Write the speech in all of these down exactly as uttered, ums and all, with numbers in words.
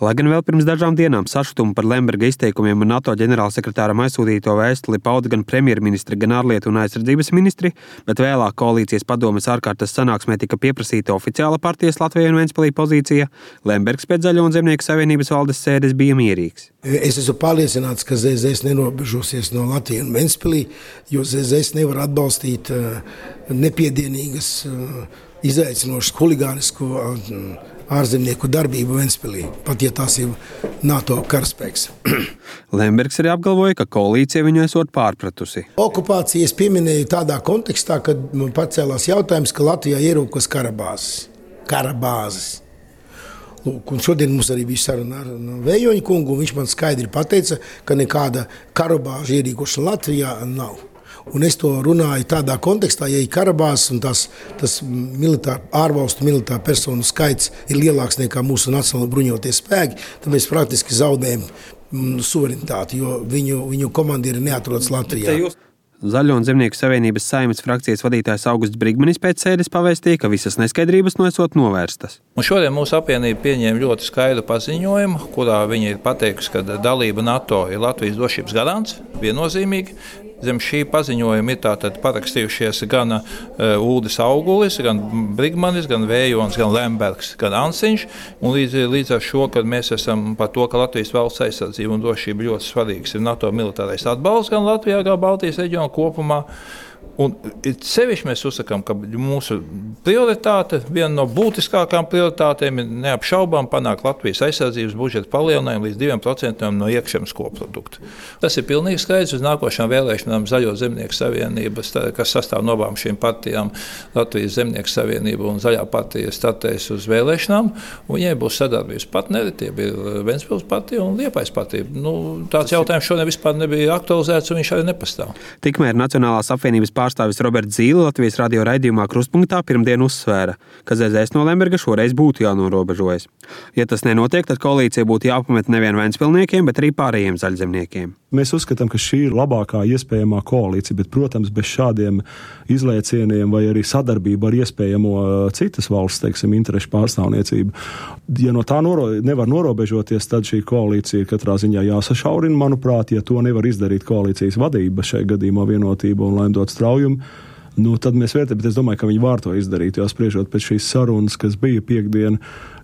Lai gan vēl pirms dažām dienām sašutumu par Lemberga izteikumiem un NATO ģenerālsekretāram aizsūtīto vēstuli pauda gan premjerministri, gan ārlietu un aizsardzības ministri, bet vēlāk koalīcijas padomes ārkārtas sanāksmē tika pieprasīta oficiāla partijas Latvijai un Ventspilī pozīcija, Lembergs pēc Zaļo un Zemnieku savienības valdes sēdes bija mierīgs. Es esmu pārliecināts, ka Z Z S nenobežosies no Latvijas un Ventspilī, jo Z Z S nevar atbalstīt nepiedienīgas, izaicinošas huligānisku ārzemnieku darbību Ventspilī, pat ja tās ir NATO karaspēks. Lembergs arī apgalvoja, ka koalīcija viņu esot pārpratusi. Okupācijas pieminēju tādā kontekstā, kad man pacēlās jautājums, ka Latvijā ierūkos karabāzes. Karabāzes. Lūk, un šodien mums arī bija saruna ar Vējoņa kungu, un viņš man skaidri pateica, ka nekāda karabāža ierīkošana Latvijā nav. Un es to runāju tādā kontekstā, ja ir karabāzes un tas, tas militār, ārvalstu militāru personu skaits ir lielāks nekā mūsu nacionāli bruņotie spēki, tad mēs praktiski zaudējam suverenitāti, jo viņu, viņu komandieri neatrodas Latvijā. Zaļo un Zemnieku savienības Saeimas frakcijas vadītājs Augusts Brigmanis pēc sēdes pavēstīja, ka visas neskaidrības no esot novērstas. Un šodien mūsu apvienība pieņēma ļoti skaidru paziņojumu, kurā viņi ir pateikusi, ka dalība NATO ir Latvijas drošības garants, viennozīmīgi. Zem šī paziņojuma ir tātad parakstījušies gan uh, Uldis Augulis, gan Brigmanis, gan Vējons, gan Lembergs, gan Ansiņš. Un līdz, līdz ar šo, kad mēs esam par to, ka Latvijas valsts aizsardzība un drošība ļoti svarīgs ir NATO militārais atbalsts gan Latvijā, gan Baltijas reģionā kopumā. Un sevišķi mēs uzsakām, ka mūsu prioritāte, viena no būtiskākām prioritātēm ir neapšaubām panākt Latvijas aizsardzības budžeta palielinājumu līdz diviem procentiem no iekšzemes koprodukta. Tas ir pilnīgi skaidrs uz nākošām vēlēšanām Zaļo Zemnieku savienības, kas sastāv no abām šīm partijām, Latvijas Zemnieku savienība un Zaļā partija startēs uz vēlēšanām, un viņai būs sadarbības partneri, tie bija Ventspils partija un Liepājas partija. Nu, tāds jautājums šodien vispār nebija aktualizēts, un viņš arī nepastāv. Tikmēr Nacionālās apvienības pārstāvis Roberts Zīle Latvijas radio raidījumā Krustpunktā pirmdien uzsvēra, ka Z Z S no Lemberga šoreiz būtu jānorobežojas. Ja tas nenotiek, tad koalīcija būtu jāpamet nevien ventspilniekiem, bet arī pārējiem zaļzemniekiem. Mēs uzskatām, ka šī ir labākā iespējamā koalīcija, bet, protams, bez šādiem izlēcieniem vai arī sadarbību ar iespējamo citas valsts, teiksim, interešu pārstāvniecību. Ja no tā noro, nevar norobežoties, tad šī koalīcija katrā ziņā jāsašaurina, manuprāt, ja to nevar izdarīt koalīcijas vadība šai gadījumā Vienotība un Laimdot Straujumu. Nu, tad mēs vērtējam, bet es domāju, ka viņi var to izdarīt, jo spriežot pēc šīs sarunas, kas bija piekdien,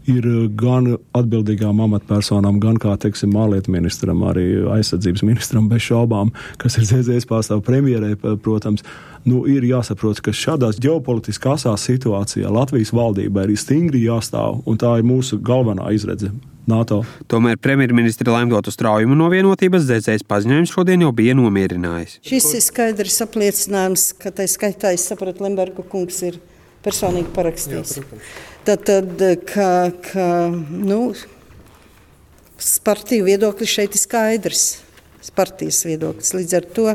ir gan atbildīgām amatpersonām, gan kā, teiksim, ārlietu ministram, arī aizsardzības ministram bez šaubām, kas ir Z Z S pārstāv premjerē, protams. Nu, ir jāsaprot, ka šādās ģeopolitiskās situācijā Latvijas valdībai ir stingri jāstāv, un tā ir mūsu galvenā izredze. NATO. Tomēr premjerministri Laimdotu Straujumu no Vienotības Z Z S paziņojums šodien jau bija nomierinājis. Šis ir skaidrs apliecinājums, ka tai skaitā, es sapratu, Lemberga kungs ir personīgi parakstījis. Tad, tad ka, ka, nu, partiju viedoklis šeit ir skaidrs, partijas viedoklis. Līdz ar to,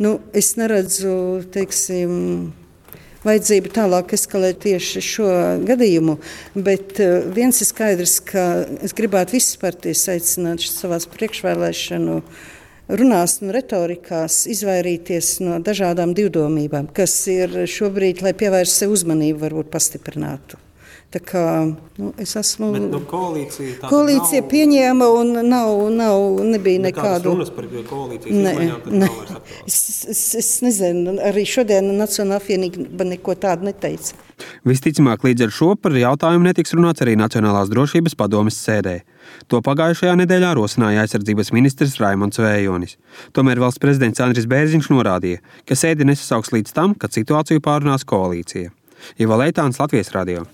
nu, es neredzu, teiksim, vajadzību tālāk eskalēt tieši šo gadījumu, bet viens ir skaidrs, ka es gribētu visas partijas aicināt savās priekšvēlēšanu runās un retorikās izvairīties no dažādām divdomībām, kas ir šobrīd, lai pievērst sev uzmanību, varbūt pastiprinātu. Tā kā, nu, es esmu... Bet, nu, koalīcija... Koalīcija nav... pieņēma un nav, nav, nebija nekādu... Nekādas runas par koalīcijas izmaiņām, tas nav vairs aktuāli. Es, es, es nezinu, arī šodien Nacionālā apvienība neko tādu neteica. Visticamāk, līdz ar šo par jautājumu netiks runāts arī Nacionālās drošības padomes sēdē. To pagājušajā nedēļā rosināja aizsardzības ministrs Raimonds Vējonis. Tomēr valsts prezidents Andris Bērziņš norādīja, ka sēdi nesasauks līdz tam, kad situāciju pārunās koalīcija. Ivo Leitāns, Latvijas radio.